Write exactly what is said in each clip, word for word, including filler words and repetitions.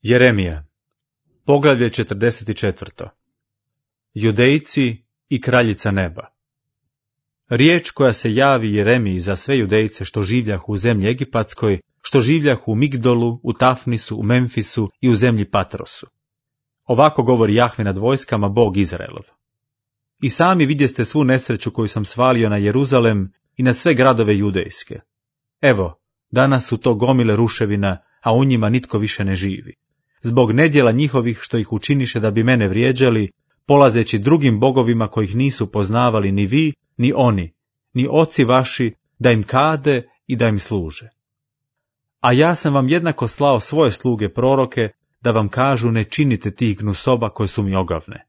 Jeremija, poglavlje četrdeset četiri. Judejci i kraljica neba. Riječ koja se javi Jeremiji za sve Judejce što življahu u zemlji Egipatskoj, što življahu u Migdolu, u Tafnisu, u Memfisu i u zemlji Patrosu. Ovako govori Jahve nad vojskama, Bog Izraelov. I sami vidjeste svu nesreću koju sam svalio na Jeruzalem i na sve gradove judejske. Evo, danas su to gomile ruševina, a u njima nitko više ne živi. Zbog nedjela njihovih što ih učiniše da bi mene vrijeđali, polazeći drugim bogovima kojih nisu poznavali ni vi, ni oni, ni oci vaši, da im kade i da im služe. A ja sam vam jednako slao svoje sluge proroke, da vam kažu ne činite tih gnusoba koje su mi ogavne.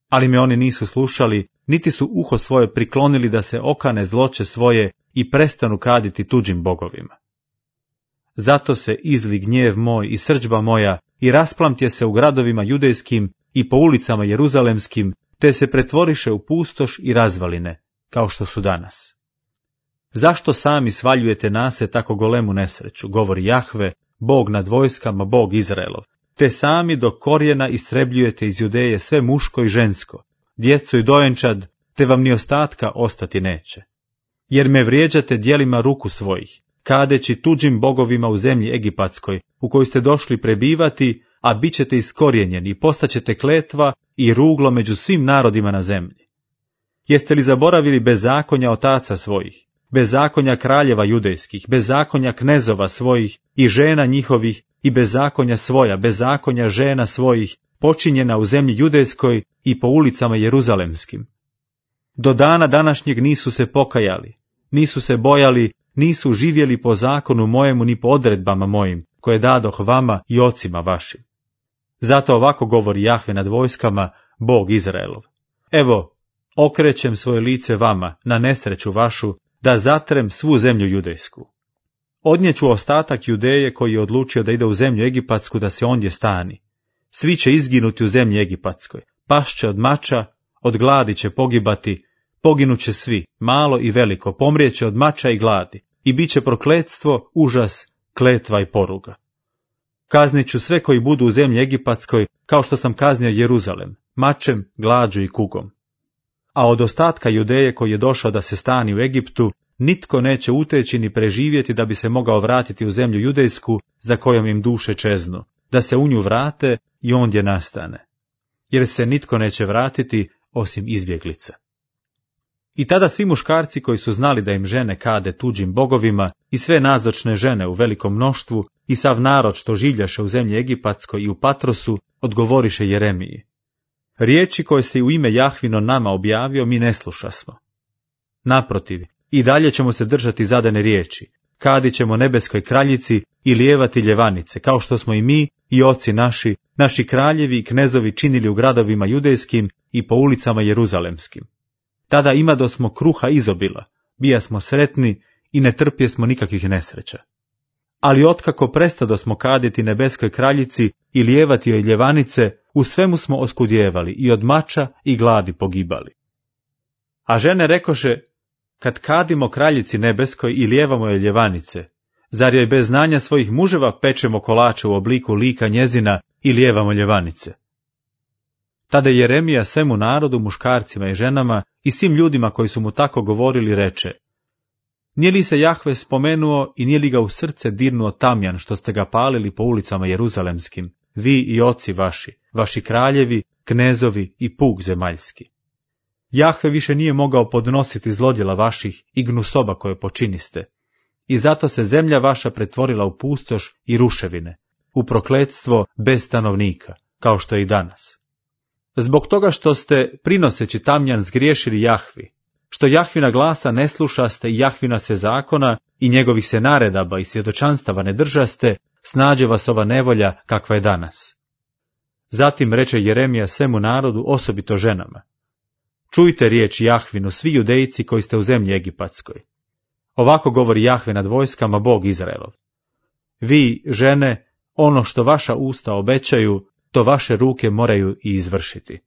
Ali me oni nisu slušali, niti su uho svoje priklonili da se okane zloće svoje i prestanu kaditi tuđim bogovima. Zato se izli gnjev moj i srdžba moja i rasplamtje se u gradovima judejskim i po ulicama jeruzalemskim, te se pretvoriše u pustoš i razvaline, kao što su danas. Zašto sami svaljujete na se tako golemu nesreću, govori Jahve, Bog nad vojskama, Bog Izraelov, te sami do korijena istrebljujete iz Judeje sve muško i žensko, djecu i dojenčad, te vam ni ostatka ostati neće. Jer me vrijeđate djelima ruku svojih, kadeći tuđim bogovima u zemlji Egipatskoj, u kojoj ste došli prebivati, a bit ćete iskorijenjeni i postaćete kletva i ruglo među svim narodima na zemlji. Jeste li zaboravili bezakonja otaca svojih, bezakonja kraljeva judejskih, bezakonja knezova svojih i žena njihovih i bezakonja svoja, bezakonja žena svojih, počinjena u zemlji judejskoj i po ulicama jeruzalemskim? Do dana današnjeg nisu se pokajali, nisu se bojali, nisu živjeli po zakonu mojemu ni po odredbama mojim, koje dadoh vama i ocima vašim. Zato ovako govori Jahve nad vojskama, Bog Izraelov. Evo, okrećem svoje lice vama, na nesreću vašu, da zatrem svu zemlju judejsku. Odnijeću ostatak Judeje koji je odlučio da ide u zemlju Egipatsku da se ondje stani. Svi će izginuti u zemlji Egipatskoj, pašće od mača, od gladi će pogibati, poginuće svi, malo i veliko, pomrijeće od mača i gladi, i bit će prokletstvo, užas, kletva i poruga. Kaznit ću sve koji budu u zemlji Egipatskoj, kao što sam kaznio Jeruzalem, mačem, glađu i kugom. A od ostatka Judeje koji je došao da se stani u Egiptu, nitko neće uteći ni preživjeti da bi se mogao vratiti u zemlju judejsku, za kojom im duše čeznu, da se u nju vrate i ondje nastane. Jer se nitko neće vratiti osim izbjeglica. I tada svi muškarci koji su znali da im žene kade tuđim bogovima i sve nazočne žene u velikom mnoštvu i sav narod što življaše u zemlji Egipatskoj i u Patrosu, odgovoriše Jeremiji. Riječi koje se u ime Jahvino nama objavio mi ne slušasmo. Naprotiv, i dalje ćemo se držati zadane riječi, kadit ćemo nebeskoj kraljici i lijevati ljevanice, kao što smo i mi i oci naši, naši kraljevi i knezovi činili u gradovima judejskim i po ulicama jeruzalemskim. Tada imadosmo kruha izobila, bijasmo sretni i ne trpjesmo nikakvih nesreća. Ali otkako prestadosmo kaditi nebeskoj kraljici i lijevati joj ljevanice, u svemu smo oskudjevali i od mača i gladi pogibali. A žene rekoše, kad kadimo kraljici nebeskoj i lijevamo joj ljevanice, zar joj bez znanja svojih muževa pečemo kolače u obliku lika njezina i lijevamo ljevanice? Tada Jeremija svemu narodu, muškarcima i ženama i svim ljudima koji su mu tako govorili reče, nije li se Jahve spomenuo i nije li ga u srce dirnuo tamjan što ste ga palili po ulicama jeruzalemskim, vi i oci vaši, vaši kraljevi, knezovi i puk zemaljski? Jahve više nije mogao podnositi zlodjela vaših i gnusoba koje počiniste, i zato se zemlja vaša pretvorila u pustoš i ruševine, u prokletstvo bez stanovnika, kao što je i danas. Zbog toga što ste, prinoseći tamjan, zgriješili Jahvi, što Jahvina glasa ne slušaste i Jahvina se zakona i njegovih se naredaba i svjedočanstava ne držaste, snađe vas ova nevolja kakva je danas. Zatim reče Jeremija svemu narodu, osobito ženama. Čujte riječ Jahvinu, svi Judejci koji ste u zemlji Egipatskoj. Ovako govori Jahve nad vojskama, Bog Izraelov. Vi, žene, ono što vaša usta obećaju, to vaše ruke moraju i izvršiti.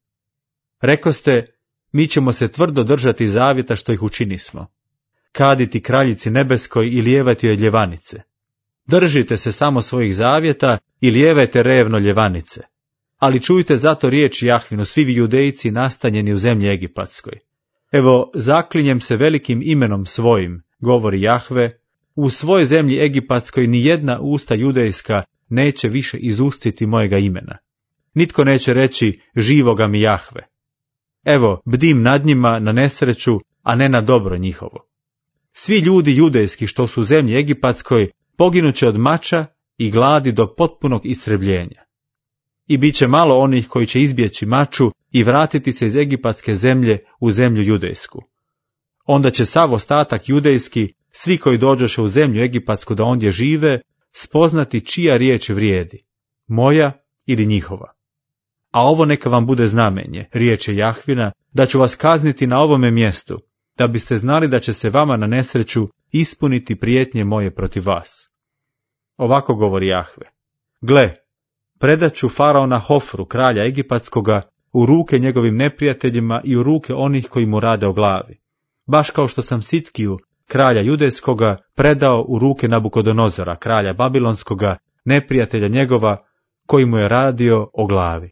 Rekoste, mi ćemo se tvrdo držati zavjeta što ih učinismo. Kaditi kraljici nebeskoj i lijevati joj ljevanice. Držite se samo svojih zavjeta i lijevajte revno ljevanice. Ali čujte zato riječ Jahvinu, svi vi judejci nastanjeni u zemlji Egipatskoj. Evo, zaklinjem se velikim imenom svojim, govori Jahve, u svojoj zemlji Egipatskoj ni jedna usta judejska neće više izustiti mojega imena. Nitko neće reći živoga mi Jahve. Evo, bdim nad njima na nesreću, a ne na dobro njihovo. Svi ljudi judejski što su u zemlji Egipatskoj poginuće od mača i gladi do potpunog istrebljenja. I bit će malo onih koji će izbjeći maču i vratiti se iz egipatske zemlje u zemlju judejsku. Onda će sav ostatak judejski, svi koji dođoše u zemlju egipatsku da ondje žive, spoznati čija riječ vrijedi, moja ili njihova. A ovo neka vam bude znamenje, riječ je Jahvina, da ću vas kazniti na ovome mjestu, da biste znali da će se vama na nesreću ispuniti prijetnje moje protiv vas. Ovako govori Jahve. Gle, predat ću faraona Hofru, kralja egipatskoga, u ruke njegovim neprijateljima i u ruke onih koji mu rade o glavi. Baš kao što sam Sitkiju, kralja judejskoga, predao u ruke Nabukodonozora, kralja babilonskoga, neprijatelja njegova, koji mu je radio o glavi.